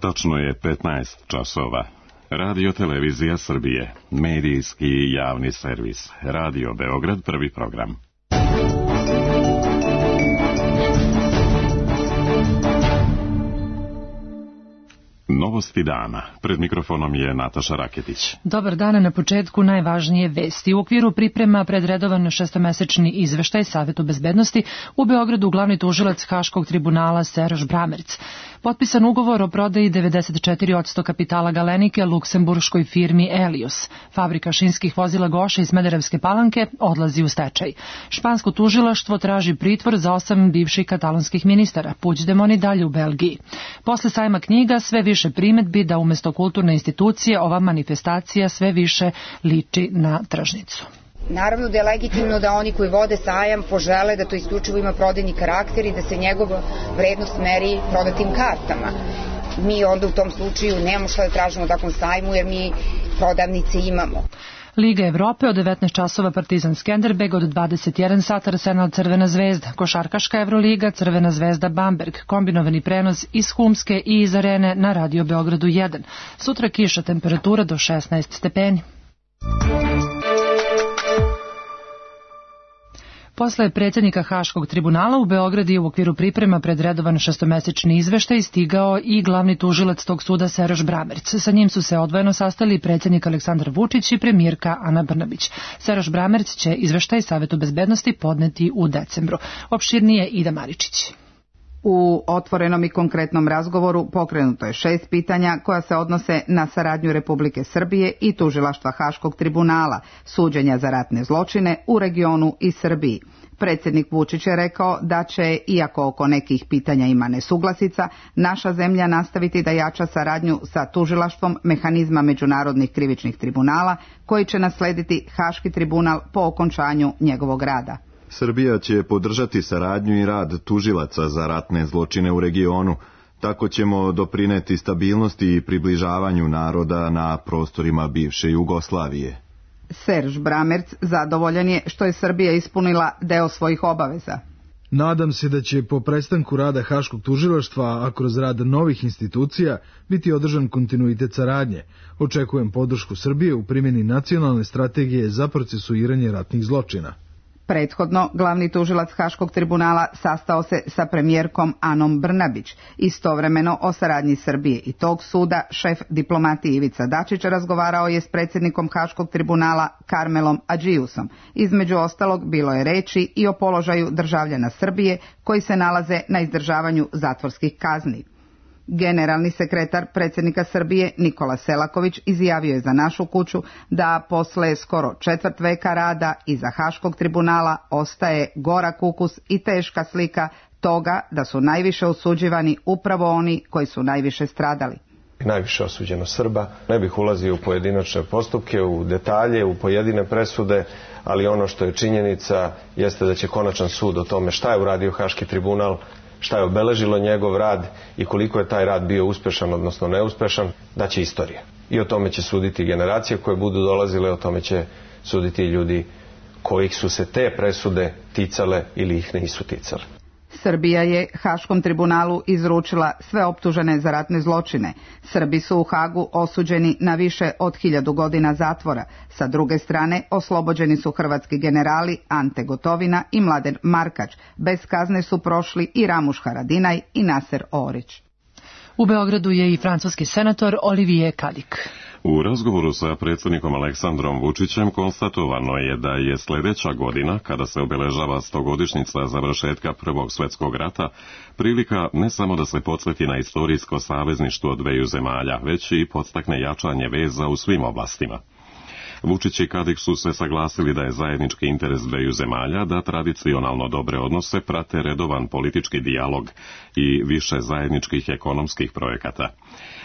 Tačno je 15 časova. Radio Televizija Srbije, medijski i javni servis. Radio Beograd, prvi program. Novosti dana. Pred mikrofonom je Nataša Raketić. Dobar dan, na početku najvažnije vesti. U okviru priprema pred redovan šestomesečni izveštaj Savetu bezbednosti u Beogradu glavni tužilac Haškog tribunala Serž Bramerc. Potpisan ugovor o prodaji 94% kapitala Galenike luksemburškoj firmi Elios. Fabrika šinskih vozila Goša iz Smederevske Palanke odlazi u stečaj. Špansko tužilaštvo traži pritvor za 8 bivših katalonskih ministara. Puigdemont i dalje u Belgiji. Posle sajma knjiga sve više primetbi da umesto kulturne institucije ova manifestacija sve više liči na tržnicu. Naravno da je legitimno da oni koji vode sajam požele da to isključivo ima prodajni karakter i da se njegova vrednost meri prodatim kartama. Mi onda u tom slučaju nemamo šta da tražimo u takvom sajmu jer mi prodavnice imamo. Liga Evrope od 19 časova Partizan Skenderbeg, od 21 sat Arsenal Crvena zvezda, košarkaška Evroliga Crvena zvezda Bamberg, kombinovani prenos iz Humske i iz Arene na Radio Beogradu 1. Sutra kiša, temperatura do 16 stepeni. Posle predsjednika Haškog tribunala u Beogradu u okviru priprema pred redovan šestomesečni izveštaj stigao i glavni tužilac tog suda Serž Bramerc. Sa njim su se odvojeno sastali predsjednik Aleksandar Vučić i premijerka Ana Brnabić. Serž Bramerc će izveštaj Savetu bezbednosti podneti u decembru. Opširnije Ida Maričić. U otvorenom i konkretnom razgovoru pokrenuto je 6 pitanja koja se odnose na saradnju Republike Srbije i tužilaštva Haškog tribunala, suđenja za ratne zločine u regionu i Srbiji. Predsjednik Vučić je rekao da će, iako oko nekih pitanja ima nesuglasica, naša zemlja nastaviti da jača saradnju sa tužilaštvom mehanizma međunarodnih krivičnih tribunala koji će naslediti Haški tribunal po okončanju njegovog rada. Srbija će podržati saradnju i rad tužilaca za ratne zločine u regionu. Tako ćemo doprineti stabilnosti i približavanju naroda na prostorima bivše Jugoslavije. Serž Bramerc zadovoljan je što je Srbija ispunila deo svojih obaveza. Nadam se da će po prestanku rada Haškog tužilaštva, a kroz rad novih institucija, biti održan kontinuitet saradnje. Očekujem podršku Srbije u primjeni nacionalne strategije za procesuiranje ratnih zločina. Prethodno, glavni tužilac Haškog tribunala sastao se sa premijerkom Anom Brnabić. Istovremeno o saradnji Srbije i tog suda šef diplomatije Ivica Dačić razgovarao je s predsjednikom Haškog tribunala Karmelom Adžiusom. Između ostalog bilo je reči i o položaju državljana Srbije koji se nalaze na izdržavanju zatvorskih kazni. Generalni sekretar predsjednika Srbije Nikola Selaković izjavio je za Našu kuću da posle skoro četvrt veka rada iza Haškog tribunala ostaje gorak ukus i teška slika toga da su najviše osuđivani upravo oni koji su najviše stradali. Najviše osuđeno Srba. Ne bih ulazio u pojedinačne postupke, u detalje, u pojedine presude, ali ono što je činjenica jeste da će konačan sud o tome šta je uradio Haški tribunal, šta je obeležilo njegov rad i koliko je taj rad bio uspešan, odnosno neuspešan, da će istorija. I o tome će suditi generacije koje budu dolazile, o tome će suditi ljudi kojih su se te presude ticale ili ih nisu ticale. Srbija je Haškom tribunalu izručila sve optužene za ratne zločine. Srbi su u Hagu osuđeni na više od 1000 godina zatvora. Sa druge strane, oslobođeni su hrvatski generali Ante Gotovina i Mladen Markač. Bez kazne su prošli i Ramuš Haradinaj i Naser Orić. U Beogradu je i francuski senator Olivier Cadic. U razgovoru sa predsjednikom Aleksandrom Vučićem konstatovano je da je sljedeća godina, kada se obeležava 100-godišnjica završetka Prvog svjetskog rata, prilika ne samo da se podsjeti na istorijsko savezništvo dveju zemalja, već i podstakne jačanje veza u svim oblastima. Vučić i Cadic su se saglasili da je zajednički interes dveju zemalja da tradicionalno dobre odnose prate redovan politički dijalog i više zajedničkih ekonomskih projekata.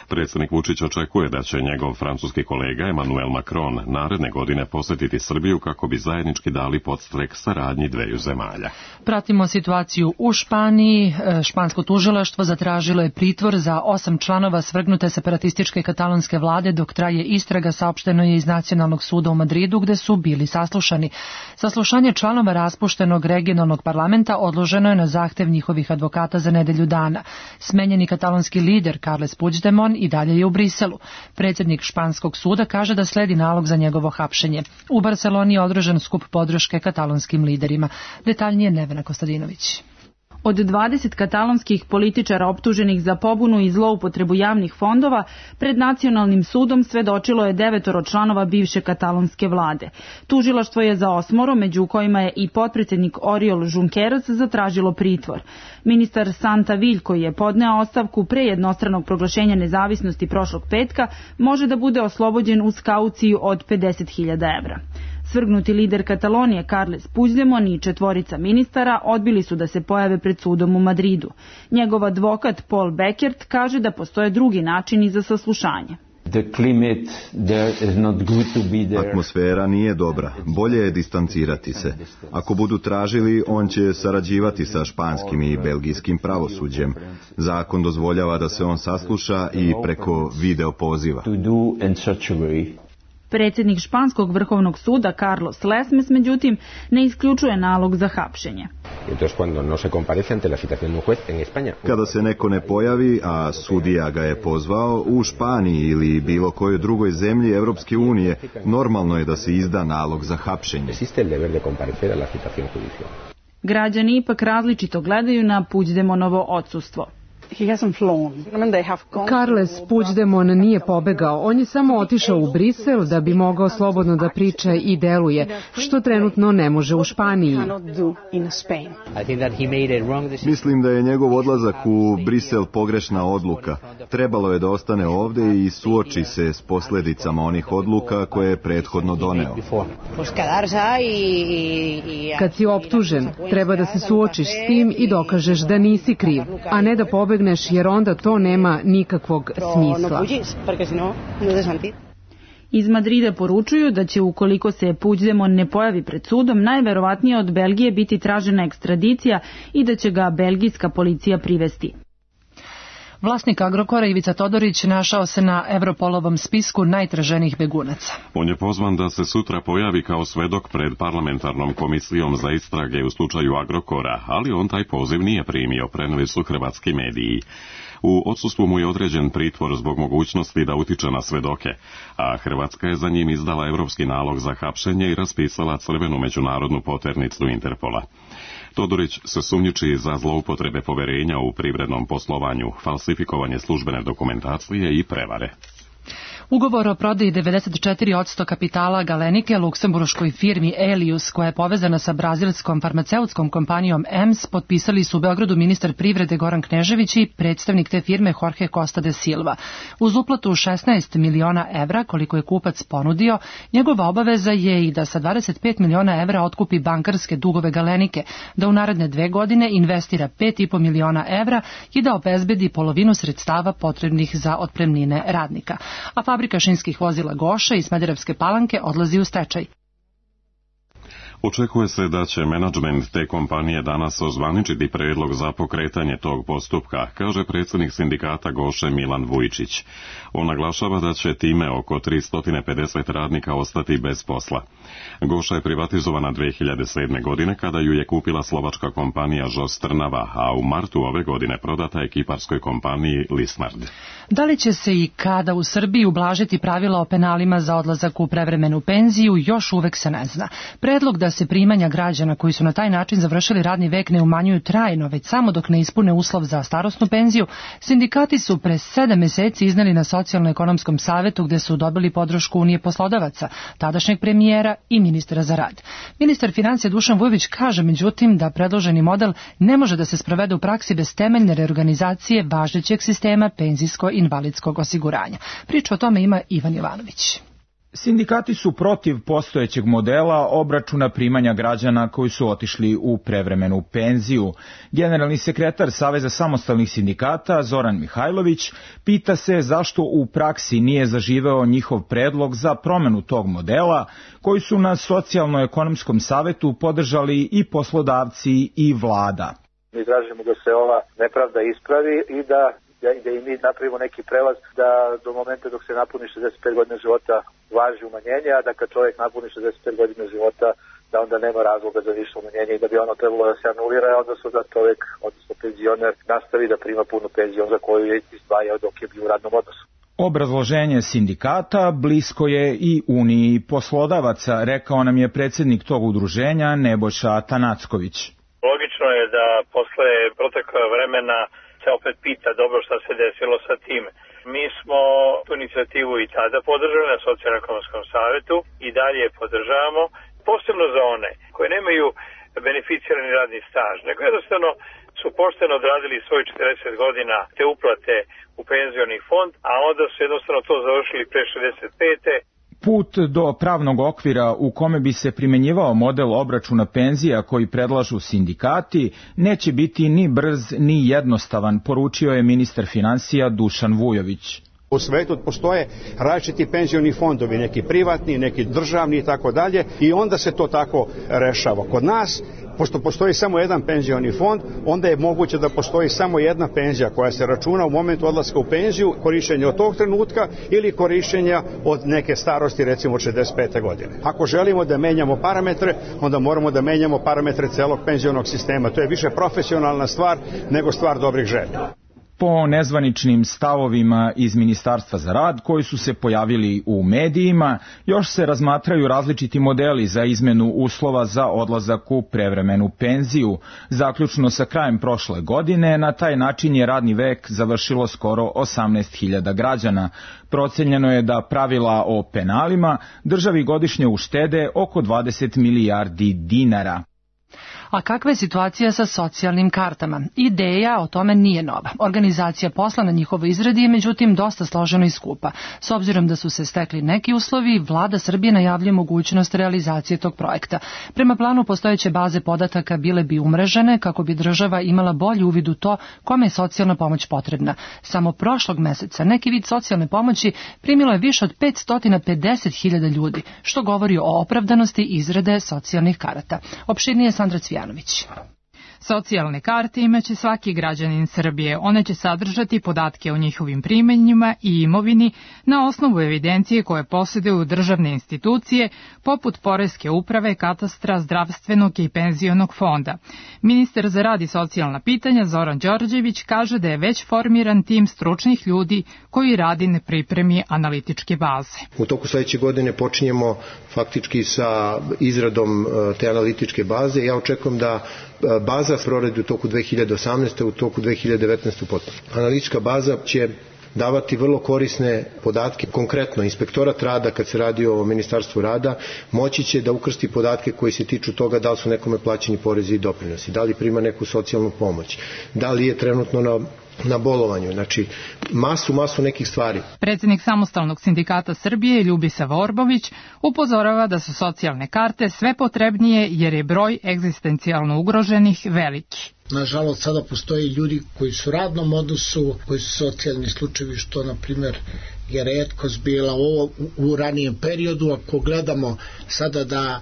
Predsjednik Vučić očekuje da će njegov francuski kolega Emmanuel Macron naredne godine posjetiti Srbiju kako bi zajednički dali podstrek saradnji dveju zemalja. Pratimo situaciju u Španiji. Špansko tužilaštvo zatražilo je pritvor za 8 članova svrgnute separatističke katalonske vlade dok traje istraga, saopšteno je iz Nacionalnog suda u Madridu gde su bili saslušani. Saslušanje članova raspuštenog regionalnog parlamenta odloženo je na zahtev njihovih advokata za nedelju dana. Smenjeni katalonski lider Carles Puigdemont i dalje je u Briselu. Predsjednik španskog suda kaže da sledi nalog za njegovo hapšenje. U Barceloni je održan skup podrške katalonskim liderima. Detaljnije Nevena Kostadinović. Od 20 katalonskih političara optuženih za pobunu i zloupotrebu javnih fondova, pred nacionalnim sudom svedočilo je 9 članova bivše katalonske vlade. Tužilaštvo je za 8, među kojima je i potpredsjednik Oriol Junqueras, zatražilo pritvor. Ministar Santa Vill, koji je podneo ostavku pre jednostranog proglašenja nezavisnosti prošlog petka, može da bude oslobođen uz kauciju od 50.000 evra. Svrgnuti lider Katalonije Carles Puigdemont i 4 ministara odbili su da se pojave pred sudom u Madridu. Njegov advokat Paul Beckert kaže da postoje drugi načini za saslušanje. Atmosfera nije dobra, bolje je distancirati se. Ako budu tražili, on će sarađivati sa španskim i belgijskim pravosuđem. Zakon dozvoljava da se on sasluša i preko video poziva. Predsjednik španskog vrhovnog suda Carlos Lesmes, međutim, ne isključuje nalog za hapšenje. Kada se neko ne pojavi, a sudija ga je pozvao, u Španiji ili bilo kojoj drugoj zemlji Evropske unije, normalno je da se izda nalog za hapšenje. Građani ipak različito gledaju na Puigdemontovo odsustvo. Carles Puigdemont nije pobegao, on je samo otišao u Brisel da bi mogao slobodno da priča i deluje, što trenutno ne može u Španiji. Mislim da je njegov odlazak u Brisel pogrešna odluka. Trebalo je da ostane ovde i suoči se s posljedicama onih odluka koje je prethodno doneo. Kad si optužen, treba da se suočiš s tim i dokažeš da nisi kriv, a ne da pobegneš, jer onda to nema nikakvog smisla. Iz Madrida poručuju da će, ukoliko se Puigdemont ne pojavi pred sudom, najverovatnije od Belgije biti tražena ekstradicija i da će ga belgijska policija privesti. Vlasnik Agrokora Ivica Todorić našao se na Europolovom spisku najtraženijih begunaca. On je pozvan da se sutra pojavi kao svedok pred parlamentarnom komisijom za istrage u slučaju Agrokora, ali on taj poziv nije primio, preneli su hrvatski mediji. U odsustvu mu je određen pritvor zbog mogućnosti da utiče na svedoke, a Hrvatska je za njim izdala evropski nalog za hapšenje i raspisala crvenu međunarodnu poternicu Interpola. Todorić se sumnjiči za zloupotrebe poverenja u privrednom poslovanju, falsifikovanje službene dokumentacije i prevare. Ugovor o prodaji 94% kapitala Galenike luksemburškoj firmi Elius, koja je povezana sa brazilskom farmaceutskom kompanijom EMS, potpisali su u Beogradu ministar privrede Goran Knežević i predstavnik te firme Jorge Costa de Silva. Uz uplatu 16 miliona evra, koliko je kupac ponudio, njegova obaveza je i da sa 25 miliona evra otkupi bankarske dugove Galenike, da u naredne 2 godine investira 5,5 miliona evra i da obezbedi polovinu sredstava potrebnih za otpremnine radnika. A fabrika šinskih vozila Goša iz Smederevske Palanke odlazi u stečaj. Očekuje se da će menadžment te kompanije danas ozvaničiti predlog za pokretanje tog postupka, kaže predsjednik sindikata Goše Milan Vujčić. On naglašava da će time oko 350 radnika ostati bez posla. Goša je privatizovana 2007. godine kada ju je kupila slovačka kompanija Žos Trnava, a u martu ove godine prodata je kiparskoj kompaniji Lisnard. Da li će se i kada u Srbiji ublažiti pravila o penalima za odlazak u prevremenu penziju, još uvek se ne zna. Predlog da se primanja građana koji su na taj način završili radni vek ne umanjuju trajno, već samo dok ne ispune uslov za starosnu penziju, sindikati su pre 7 meseci izneli na Socijalno-ekonomskom savetu gde su dobili podršku Unije poslodavaca, tadašnjeg premijera i ministra za rad. Ministar financija Dušan Vujović kaže međutim da predloženi model ne može da se sprovede u praksi bez temeljne reorganizacije važećeg sistema penzijsko-invalidskog osiguranja. Priču o tome ima Ivan Jovanović. Sindikati su protiv postojećeg modela obračuna primanja građana koji su otišli u prevremenu penziju. Generalni sekretar Saveza samostalnih sindikata Zoran Mihajlović pita se zašto u praksi nije zaživeo njihov predlog za promenu tog modela koji su na Socijalno-ekonomskom savetu podržali i poslodavci i vlada. Mi tražimo da se ova nepravda ispravi i da da i mi napravimo neki prelaz da do momenta dok se napuni 65 godina života važi umanjenje, a da kad čovjek napuni 65 godina života da onda nema razloga za više umanjenje i da bi ono trebalo da se anulira, odnosno da čovjek, odnosno penzioner, nastavi da prima punu penziju za koju je izdvajao dok je bio u radnom odnosu. Obrazloženje sindikata blisko je i Uniji poslodavaca, rekao nam je predsjednik tog udruženja Nebojša Tanacković. Logično je da posle proteka vremena se opet pita dobro šta se desilo sa tim. Mi smo tu inicijativu i tada podržali na Socijalno-ekonomskom savetu i dalje je podržavamo, posebno za one koje nemaju beneficirani radni staž, nego jednostavno su pošteno odradili svoj 40 godina te uplate u penzioni fond, a onda su jednostavno to završili pre 65. Put do pravnog okvira u kome bi se primenjivao model obračuna penzija koji predlažu sindikati neće biti ni brz ni jednostavan, poručio je ministar finansija Dušan Vujović. U svetu postoje različiti penzioni fondovi, neki privatni, neki državni i tako dalje, i onda se to tako rešava. Kod nas, pošto postoji samo jedan penzioni fond, onda je moguće da postoji samo jedna penzija koja se računa u momentu odlaska u penziju, korišćenja od tog trenutka ili korišćenja od neke starosti, recimo od 65. godine. Ako želimo da menjamo parametre, onda moramo da menjamo parametre celog penzionog sistema. To je više profesionalna stvar nego stvar dobrih želja. Po nezvaničnim stavovima iz Ministarstva za rad koji su se pojavili u medijima, još se razmatraju različiti modeli za izmenu uslova za odlazak u prevremenu penziju. Zaključno sa krajem prošle godine, na taj način je radni vek završilo skoro 18.000 građana. Procenjeno je da pravila o penalima državi godišnje uštede oko 20 milijardi dinara. A kakva je situacija sa socijalnim kartama? Ideja o tome nije nova. Organizacija posla na njihovoj izradi je međutim dosta složena i skupa. S obzirom da su se stekli neki uslovi, vlada Srbije najavljuje mogućnost realizacije tog projekta. Prema planu postojeće baze podataka bile bi umrežene kako bi država imala bolji uvid u to kome je socijalna pomoć potrebna. Samo prošlog meseca neki vid socijalne pomoći primilo je više od 550.000 ljudi, što govori o opravdanosti izrade socijalnih karata. Opširnije Sandra Cvijanović. Socijalne karte imaće svaki građanin Srbije. One će sadržati podatke o njihovim primanjima i imovini na osnovu evidencije koje posjeduju državne institucije poput Poreske uprave, katastra, zdravstvenog i penzionog fonda. Ministar za rad i socijalna pitanja Zoran Đorđević kaže da je već formiran tim stručnih ljudi koji radi na pripremi analitičke baze. U toku sledeće godine počinjemo faktički sa izradom te analitičke baze. Ja očekujem da baza proradi u toku 2018. u toku 2019. potpuno. Analitička baza će davati vrlo korisne podatke. Konkretno, inspektorat rada, kad se radi o Ministarstvu rada, moći će da ukrsti podatke koji se tiču toga da li su nekome plaćeni porezi i doprinosi, da li prima neku socijalnu pomoć, da li je trenutno na bolovanju, znači masu nekih stvari. Predsjednik Samostalnog sindikata Srbije Ljubisa Vorbović upozorava da su socijalne karte sve potrebnije jer je broj egzistencijalno ugroženih veliki. Nažalost, sada postoje ljudi koji su u radnom odnosu, koji su socijalni slučajevi, što, na primjer, je retkost bila u ranijem periodu. Ako gledamo sada da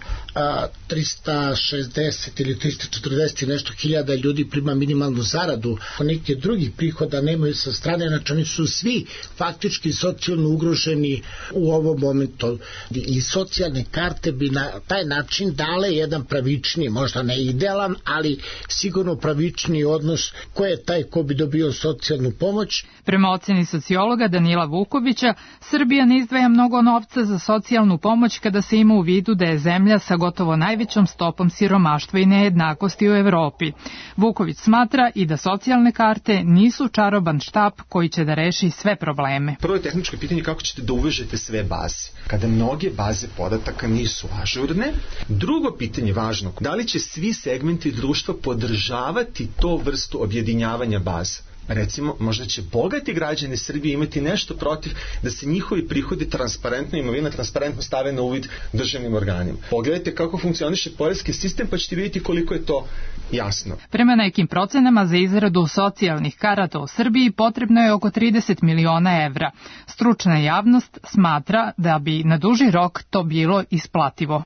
360 ili 340 nešto hiljada ljudi prima minimalnu zaradu, neke drugih prihoda nemaju sa strane, znači oni su svi faktički socijalno ugroženi u ovom momentu. I socijalne karte bi na taj način dale jedan pravični, možda ne idealan, ali sigurno pravični odnos ko je taj ko bi dobio socijalnu pomoć. Prema oceni sociologa Danila Vukovića, Srbija ne izdvaja mnogo novca za socijalnu pomoć kada se ima u vidu da je zemlja sa gotovo najvećom stopom siromaštva i nejednakosti u Evropi. Vuković smatra i da socijalne karte nisu čaroban štap koji će da reši sve probleme. Prvo je tehničko pitanje kako ćete da uvežete sve baze, kada mnoge baze podataka nisu ažurne. Drugo pitanje važno, da li će svi segmenti društva podržavati to vrstu objedinjavanja baza? Recimo, možda će bogati građani Srbije imati nešto protiv da se njihovi prihodi transparentno, imovina transparentno stave na uvid državnim organima. Pogledajte kako funkcioniše poreski sistem pa ćete vidjeti koliko je to jasno. Prema nekim procenama za izradu socijalnih karata u Srbiji potrebno je oko 30 miliona evra. Stručna javnost smatra da bi na duži rok to bilo isplativo.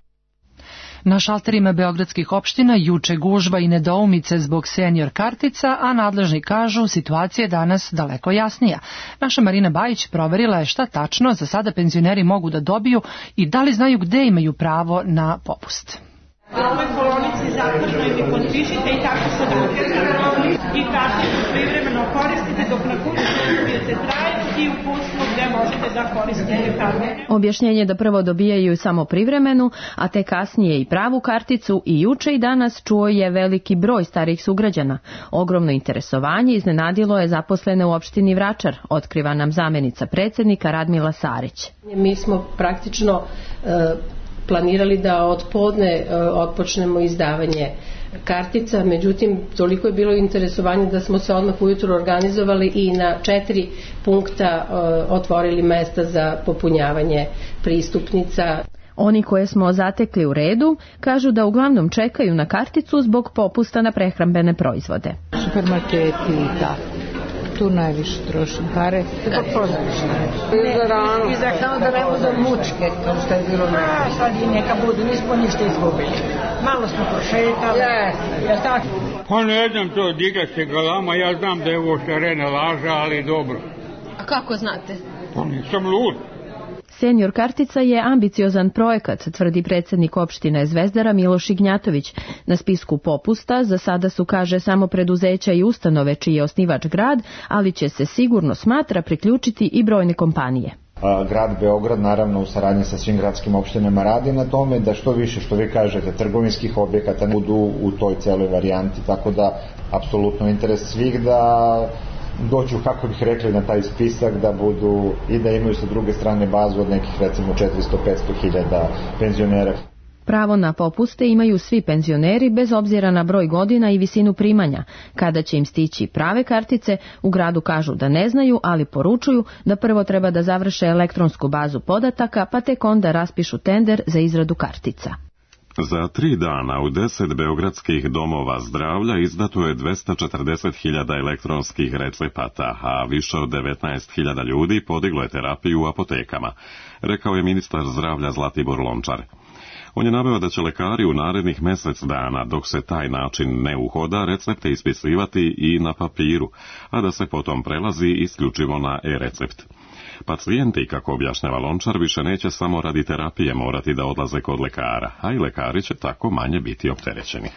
Na šalterima beogradskih opština juče gužva i nedoumice zbog senior kartica, a nadležni kažu situacija je danas daleko jasnija. Naša Marina Bajić proverila je šta tačno za sada penzioneri mogu da dobiju i da li znaju gde imaju pravo na popust. U ovoj kolonici zaključno i potpišite i tako se dokažete i karticu privremeno koristite dok na kuću dobijete trajno i uputstvo gde možete da koristite karticu. Objašnjenje da prvo dobijaju samo privremenu, a te kasnije i pravu karticu i juče i danas čuo je veliki broj starih sugrađana. Ogromno interesovanje iznenadilo je zaposlene u opštini Vračar, otkriva nam zamenica predsednika Radmila Sarić. Mi smo praktično planirali da od podne otpočnemo izdavanje kartica, međutim toliko je bilo interesovanje da smo se odmah ujutro organizovali i na 4 punkta otvorili mesta za popunjavanje pristupnica. Oni koje smo zatekli u redu kažu da uglavnom čekaju na karticu zbog popusta na prehrambene proizvode. Supermarketi i tako. Tu najviše trošim pare. Kako pozorišta? I za rano. I za hranu da ne budu mučke, kao što je bilo nekako. Sad i neka budu, nismo ništa izgubili. Malo smo prošetali. Ja tako. Pa ne znam to, diga se galama, ja znam da je ovo šarena laža, ali dobro. A kako znate? Pa nisam lud. Senior kartica je ambiciozan projekat, tvrdi predsjednik opštine Zvezdara Miloš Ignjatović. Na spisku popusta za sada su, kaže, samo preduzeća i ustanove čiji je osnivač grad, ali će se sigurno smatra priključiti i brojne kompanije. Grad Beograd, naravno u saradnji sa svim gradskim opštinama, radi na tome da što više, što vi kažete, trgovinskih objekata budu u toj celoj varijanti, tako da apsolutno interes svih da dođu, kako bih rekli, na taj spisak, da budu i da imaju sa druge strane bazu od nekih recimo 400-500 hiljada penzionera. Pravo na popuste imaju svi penzioneri bez obzira na broj godina i visinu primanja. Kada će im stići prave kartice, u gradu kažu da ne znaju, ali poručuju da prvo treba da završe elektronsku bazu podataka, pa tek onda raspišu tender za izradu kartica. Za 3 dana u 10 beogradskih domova zdravlja izdato je 240.000 elektronskih recepata, a više od 19.000 ljudi podiglo je terapiju u apotekama, rekao je ministar zdravlja Zlatibor Lončar. On je naveo da će lekari u narednih mjesec dana, dok se taj način ne uhoda, recepte ispisivati i na papiru, a da se potom prelazi isključivo na e-recept. Pacijenti, kako objašnjava Lončar, više neće samo radi terapije morati da odlaze kod lekara, a i lekari će tako manje biti opterećeni.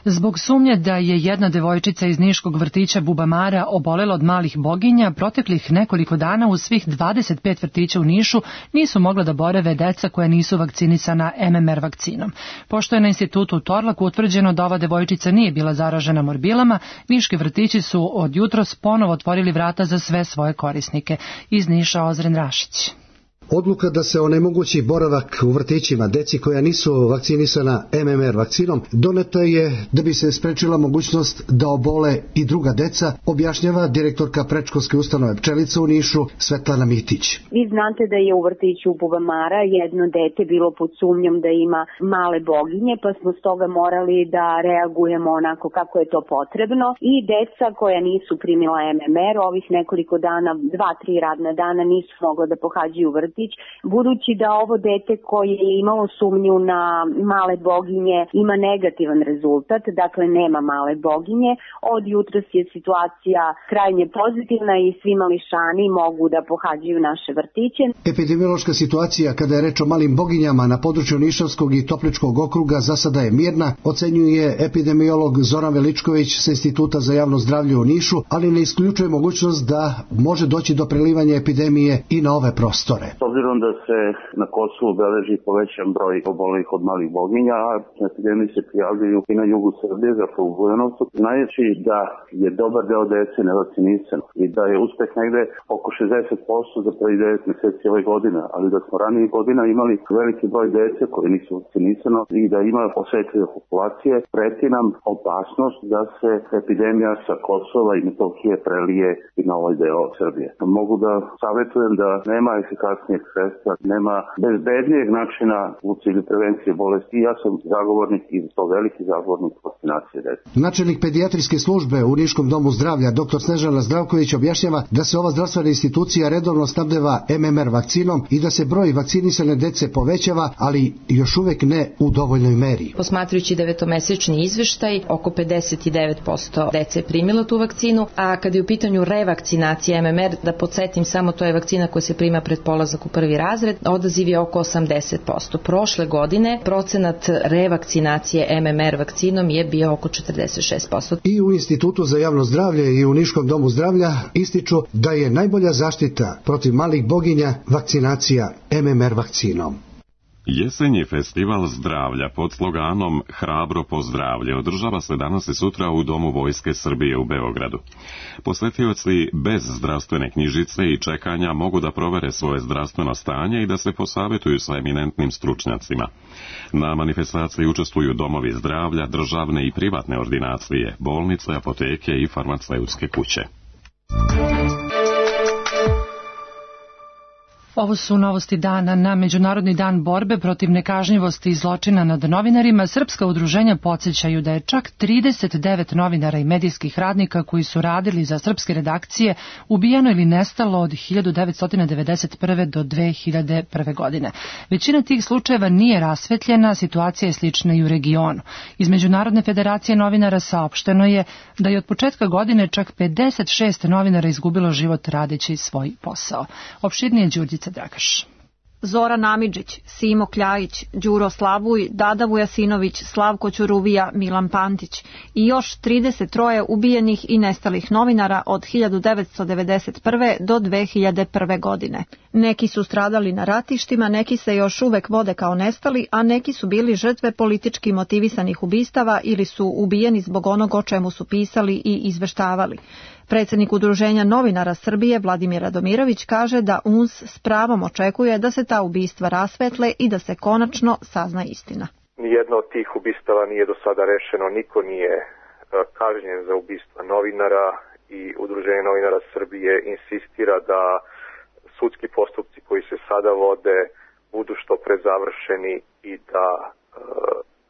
Zbog sumnje da je jedna devojčica iz niškog vrtića Bubamara obolela od malih boginja, proteklih nekoliko dana u svih 25 vrtića u Nišu nisu mogla da borave deca koja nisu vakcinisana MMR vakcinom. Pošto je na institutu u Torlaku utvrđeno da ova devojčica nije bila zaražena morbilama, niški vrtići su od jutros ponovo otvorili vrata za sve svoje korisnike. Iz Niša Ozren Rašić. Odluka da se onemogući boravak u vrtićima deci koja nisu vakcinisana MMR vakcinom doneta je da bi se sprečila mogućnost da obole i druga deca, objašnjava direktorka predškolske ustanove Pčelica u Nišu Svetlana Mitić. Vi znate da je u vrtiću Bubamara jedno dete bilo pod sumnjom da ima male boginje, pa smo stoga morali da reagujemo onako kako je to potrebno i deca koja nisu primila MMR ovih nekoliko dana, 2-3 radna dana nisu mogla da pohađaju vrtić, budući da ovo dete koje je imalo sumnju na male boginje ima negativan rezultat, dakle nema male boginje. Od jutros je situacija krajnje pozitivna i svi mališani mogu da pohađaju naše vrtiće. Epidemiološka situacija kada je reč o malim boginjama na području Nišavskog i Topličkog okruga za sada je mirna, ocenjuje epidemiolog Zoran Veličković sa Instituta za javno zdravlje u Nišu, ali ne isključuje mogućnost da može doći do prelivanja epidemije i na ove prostore. S obzirom da se na Kosovu beleži povećan broj obolelih od malih boginja, a epidemije se prijavljaju i na jugu Srbije, zapravo u Bujanovcu, znajući da je dobar deo dece nevakcinisan i da je uspeh negde oko 60% za prvi 9 mjeseci ove godine, ali da smo ranije godina imali veliki broj dece koje nisu vakcinisano i da ima osetljive populacije, preti nam opasnost da se epidemija sa Kosova i Metohije prelije i na ovaj deo Srbije. Mogu da savjetujem da nema efikasnijeg sredstva, nema bezbednijeg načina u cilju prevencije bolesti. Ja sam zagovornik i to veliki zagovornik vakcinacije dece. Načelnik pedijatrijske službe u Niškom domu zdravlja dr. Snežana Zdravković objašnjava da se ova zdravstvena institucija redovno snabdeva MMR vakcinom i da se broj vakcinisane dece povećava, ali još uvek ne u dovoljnoj meri. Posmatrujući 9-mesečni izveštaj, oko 59% dece je primilo tu vakcinu, a kada je u pitanju revakcinacija MMR, da podsjetim samo, to je vakcina koja se prima pred polazak u prvi razred, odaziv je oko 80%. Prošle godine procenat revakcinacije MMR vakcinom je bio oko 46%. I u Institutu za javno zdravlje i u Niškom domu zdravlja ističu da je najbolja zaštita protiv malih boginja vakcinacija MMR vakcinom. Jesenji festival zdravlja pod sloganom Hrabro po zdravlje održava se danas i sutra u Domu Vojske Srbije u Beogradu. Posetioci bez zdravstvene knjižice i čekanja mogu da provere svoje zdravstveno stanje i da se posavjetuju sa eminentnim stručnjacima. Na manifestaciji učestvuju domovi zdravlja, državne i privatne ordinacije, bolnice, apoteke i farmaceutske kuće. Ovo su novosti dana. Na Međunarodni dan borbe protiv nekažnjivosti i zločina nad novinarima srpska udruženja podsjećaju da je čak 39 novinara i medijskih radnika koji su radili za srpske redakcije ubijeno ili nestalo od 1991. do 2001. godine. Većina tih slučajeva nije rasvetljena, situacija je slična i u regionu. Iz Međunarodne federacije novinara saopšteno je da je od početka godine čak 56 novinara izgubilo život radeći svoj posao. Opširnije Đurđica Dragaš. Zoran Amidžić, Simo Kljajić, Đuro Slavuj, Dada Vujasinović, Slavko Ćuruvija, Milan Pantić i još 33 ubijenih i nestalih novinara od 1991. do 2001. godine. Neki su stradali na ratištima, neki se još uvek vode kao nestali, a neki su bili žrtve politički motivisanih ubistava ili su ubijeni zbog onog o čemu su pisali i izveštavali. Predsjednik Udruženja novinara Srbije Vladimir Radomirović kaže da UNS s pravom očekuje da se ta ubistva rasvetle i da se konačno sazna istina. Nijedno od tih ubistava nije do sada rešeno, niko nije kažnjen za ubistva novinara i Udruženje novinara Srbije insistira da sudski postupci koji se sada vode budu što pre završeni i da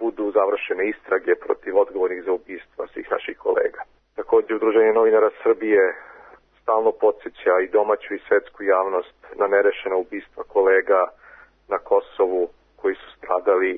budu završene istrage protiv odgovornih za ubistva svih naših kolega. Također, Udruženje novinara Srbije stalno podsjeća i domaću i svetsku javnost na nerešena ubistva kolega na Kosovu koji su stradali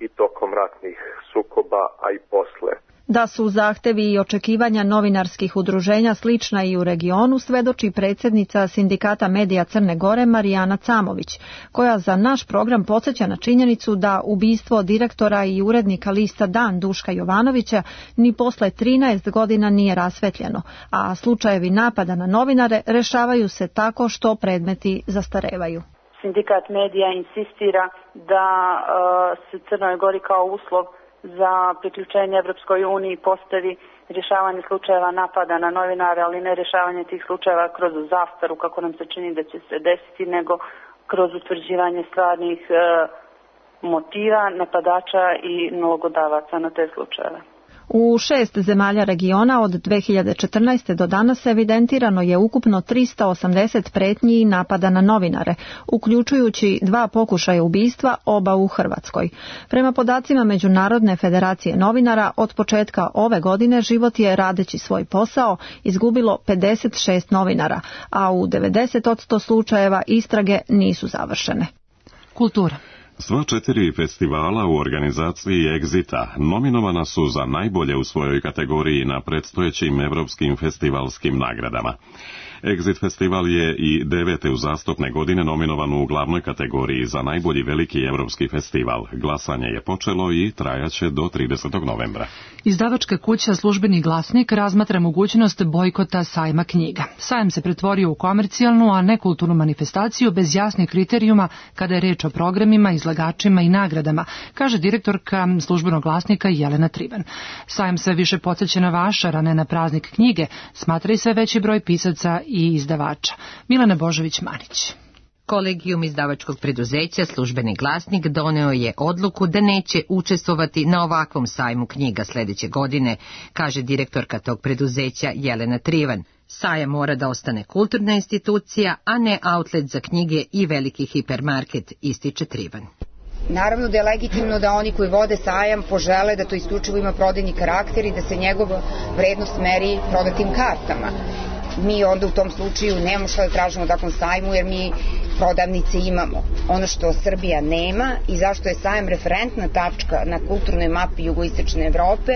i tokom ratnih sukoba, a i posle. Da su zahtevi i očekivanja novinarskih udruženja slična i u regionu, svedoči predsjednica Sindikata medija Crne Gore Marijana Camović, koja za naš program podsjeća na činjenicu da ubistvo direktora i urednika lista Dan Duška Jovanovića ni posle 13 godina nije rasvetljeno, a slučajevi napada na novinare rešavaju se tako što predmeti zastarevaju. Sindikat medija insistira da se Crnoj Gori kao uslov za priključenje Evropskoj uniji postavi rješavanje slučajeva napada na novinare, ali ne rješavanje tih slučajeva kroz zastaru, kako nam se čini da će se desiti, nego kroz utvrđivanje stvarnih motiva napadača i nalogodavaca na te slučajeve. U 6 zemalja regiona od 2014. do danas evidentirano je ukupno 380 pretnji i napada na novinare, uključujući 2 pokušaja ubistva, oba u Hrvatskoj. Prema podacima Međunarodne federacije novinara, od početka ove godine život je, radeći svoj posao, izgubilo 56 novinara, a u 90% slučajeva istrage nisu završene. Kultura. Sva 4 festivala u organizaciji Exita nominovana su za najbolje u svojoj kategoriji na predstojećim evropskim festivalskim nagradama. Exit festival je i 9. uzastopne godine nominovan u glavnoj kategoriji za najbolji veliki evropski festival. Glasanje je počelo i trajaće do 30. novembra. Izdavačka kuća Službeni glasnik razmatra mogućnost bojkota sajma knjiga. Sajam se pretvorio u komercijalnu, a ne kulturnu manifestaciju bez jasnih kriterijuma kada je reč o programima, izlagačima i nagradama, kaže direktorka Službenog glasnika Jelena Trivan. Sajam sve više podsjeća na vašar, a ne na praznik knjige, smatra i sve veći broj pisaca i izdavača. Milena Božović-Manić. Kolegijum izdavačkog preduzeća Službeni glasnik doneo je odluku da neće učestvovati na ovakvom sajmu knjiga sljedeće godine, kaže direktorka tog preduzeća Jelena Trivan. Sajam mora da ostane kulturna institucija, a ne outlet za knjige i veliki hipermarket, ističe Trivan. Naravno da je legitimno da oni koji vode sajam požele da to isključivo ima prodajni karakter i da se njegova vrednost meri prodatim kartama. Mi onda u tom slučaju nemamo što da tražimo u takvom sajmu jer mi prodavnice imamo. Ono što Srbija nema i zašto je sajam referentna tačka na kulturnoj mapi jugoistočne Evrope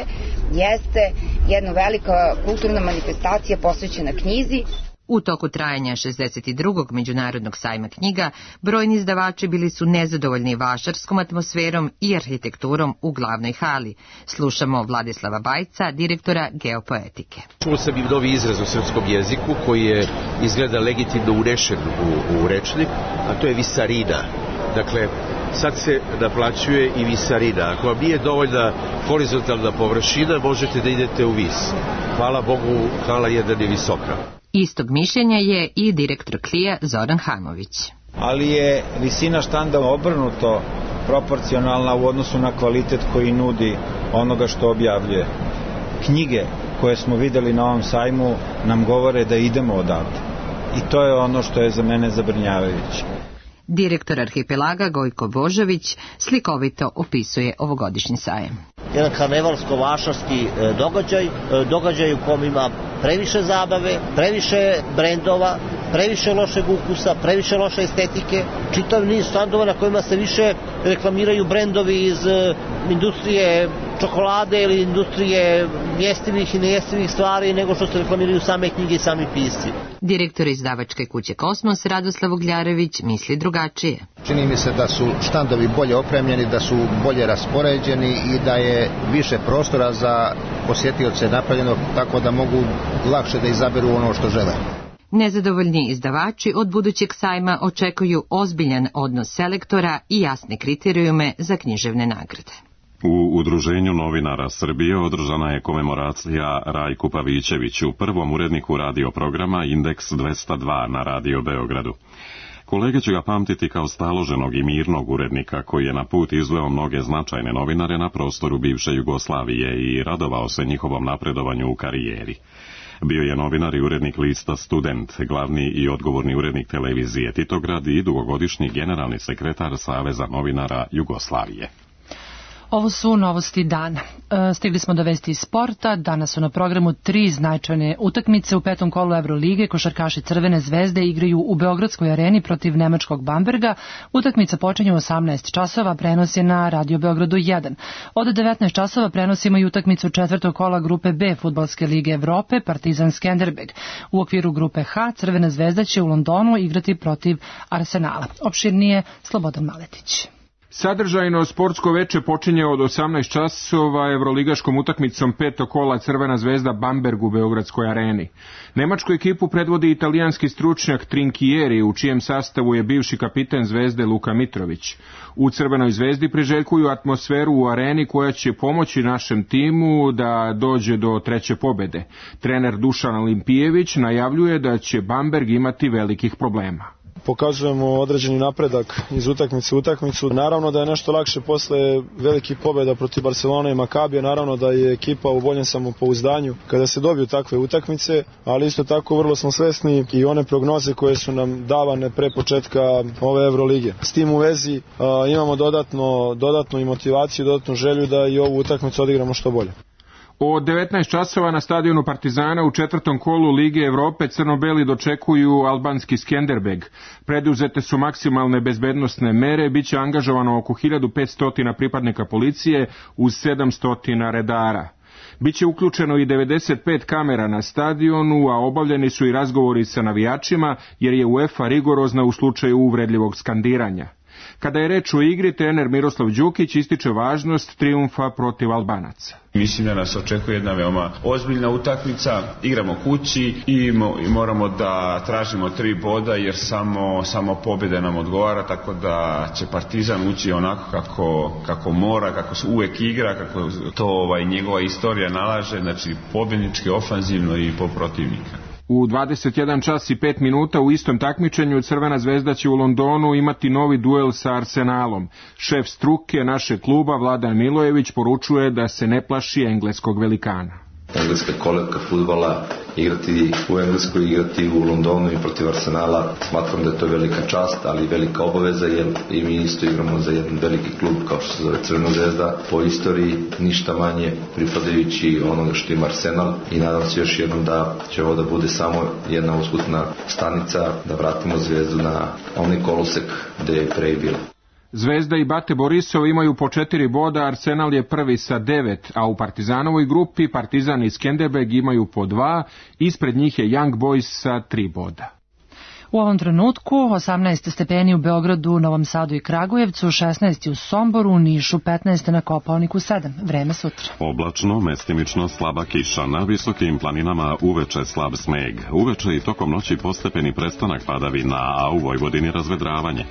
jeste jedna velika kulturna manifestacija posvećena knjizi. U toku trajanja 62. međunarodnog sajma knjiga, brojni izdavači bili su nezadovoljni vašarskom atmosferom i arhitekturom u glavnoj hali. Slušamo Vladislava Bajca, direktora Geopoetike. Čuo sam i novi izraz u srpskom jeziku koji je izgleda legitimno unešen u rečnik, a to je visarina. Dakle, sad se naplaćuje i visarina. Ako vam nije dovoljna horizontalna površina, možete da idete u vis. Hvala Bogu, hala jedan je visoka. Istog mišljenja je i direktor Klija Zoran Hamović. Ali je visina štanda obrnuto proporcionalna u odnosu na kvalitet koji nudi onoga što objavljuje. Knjige koje smo videli na ovom sajmu nam govore da idemo odavde. I to je ono što je za mene zabrinjavajuće. Direktor Arhipelaga Gojko Božović slikovito opisuje ovogodišnji sajam. Jedan karnevalsko-vašarski događaj u kom ima previše zabave, previše brendova, previše lošeg ukusa, previše loše estetike, čitav niz standova na kojima se više reklamiraju brendovi iz industrije čokolade ili industrije jestivih i nejestivih stvari nego što se reklamiraju same knjige i sami pisci. Direktor izdavačke kuće Kosmos Radoslav Ugljarević misli drugačije. Čini mi se da su štandovi bolje opremljeni, da su bolje raspoređeni i da je više prostora za posjetioce napravljeno tako da mogu lakše da izaberu ono što žele. Nezadovoljni izdavači od budućeg sajma očekuju ozbiljan odnos selektora i jasne kriterijume za književne nagrade. U Udruženju novinara Srbije održana je komemoracija Rajku Pavićeviću, prvom uredniku radioprograma Indeks 202 na Radio Beogradu. Kolege će ga pamtiti kao staloženog i mirnog urednika koji je na put izveo mnoge značajne novinare na prostoru bivše Jugoslavije i radovao se njihovom napredovanju u karijeri. Bio je novinar i urednik lista Student, glavni i odgovorni urednik televizije Titograd i dugogodišnji generalni sekretar Saveza novinara Jugoslavije. Ovo su novosti dana. Stigli smo do vesti iz sporta. Danas su na programu 3 značajne utakmice. U 5. kolu Evrolige košarkaši Crvene zvezde igraju u Beogradskoj areni protiv nemačkog Bamberga. Utakmica počinje u 18 časova, prenos je na Radio Beogradu 1. Od 19 časova prenosimo i utakmicu 4. kola grupe B Fudbalske lige Evrope, Partizan Skenderbeg. U okviru grupe H Crvena zvezda će u Londonu igrati protiv Arsenala. Opširnije Slobodan Maletić. Sadržajno sportsko veče počinje od 18 časova evroligaškom utakmicom 5. kola Crvena zvezda Bamberg u Beogradskoj areni. Nemačku ekipu predvodi italijanski stručnjak Trinkieri, u čijem sastavu je bivši kapiten Zvezde Luka Mitrović. U Crvenoj zvezdi priželjkuju atmosferu u areni koja će pomoći našem timu da dođe do treće pobede. Trener Dušan Olimpijević najavljuje da će Bamberg imati velikih problema. Pokazujemo određeni napredak iz utakmice u utakmicu. Naravno da je nešto lakše posle velikih pobjeda protiv Barcelone i Makabija, naravno da je ekipa u boljem samopouzdanju kada se dobiju takve utakmice, ali isto tako vrlo smo svesni i one prognoze koje su nam davane pre početka ove Evrolige. S tim u vezi imamo dodatnu i motivaciju, dodatnu želju da i ovu utakmicu odigramo što bolje. Od 19 časova na stadionu Partizana u 4. kolu Lige Evrope crno-beli dočekuju albanski Skenderbeg. Preduzete su maksimalne bezbednosne mere, bit će angažovano oko 1500 pripadnika policije uz 700 redara. Biće uključeno i 95 kamera na stadionu, a obavljeni su i razgovori sa navijačima jer je UEFA rigorozna u slučaju uvredljivog skandiranja. Kada je reč o igri, trener Miroslav Đukić ističe važnost trijumfa protiv Albanaca. Mislim da nas očekuje jedna veoma ozbiljna utakmica, igramo kući i moramo da tražimo 3 boda jer samo pobjeda nam odgovara, tako da će Partizan ući onako kako mora, kako se uvek igra, kako to njegova istorija nalaže, znači pobjednički, ofanzivno i po protivnika. U 21 čas i 5 minuta u istom takmičenju Crvena zvezda će u Londonu imati novi duel sa Arsenalom. Šef struke našeg kluba Vladan Milojević poručuje da se ne plaši engleskog velikana. engleska kolevka fudbala, igrati u Engleskoj, igrati u Londonu i protiv Arsenala. Smatram da je to velika čast, ali i velika obaveza, jer i mi isto igramo za jedan veliki klub kao što se zove Crvena zvezda, po istoriji ništa manje pripadajući onoga što ima Arsenal, i nadam se još jednom da će ovo da bude samo jedna usputna stanica, da vratimo Zvezdu na onaj kolosek gde je pre bilo. Zvezda i Bate Borisov imaju po 4 boda, Arsenal je prvi sa 9, a u Partizanovoj grupi Partizan i Skenderbeg imaju po 2, ispred njih je Young Boys sa 3 boda. U ovom trenutku 18 stepeni u Beogradu, Novom Sadu i Kragujevcu, 16 u Somboru, u Nišu 15, na Kopaoniku 7. Vreme sutra. Oblačno, mestimično slaba kiša, na visokim planinama uveče slab sneg. Uveče i tokom noći postepeni prestanak padavina, a u Vojvodini razvedravanje.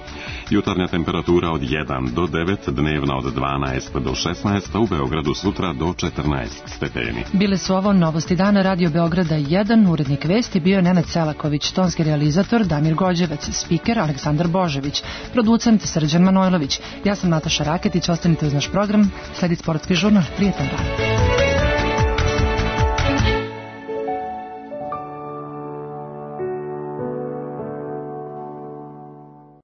Jutarnja temperatura od 1 do 9, dnevna od 12 do 16, a u Beogradu sutra do 14 stepeni. Bile su ovo novosti dana Radio Beograda 1, urednik vesti bio Nenad Selaković, tonski realizator Damir Gođevac, spiker Aleksandar Božević, producent Srđan Manojlović. Ja sam Nataša Raketić, ostanite uz naš program, sledi sportski žurnal. Prijetan dan.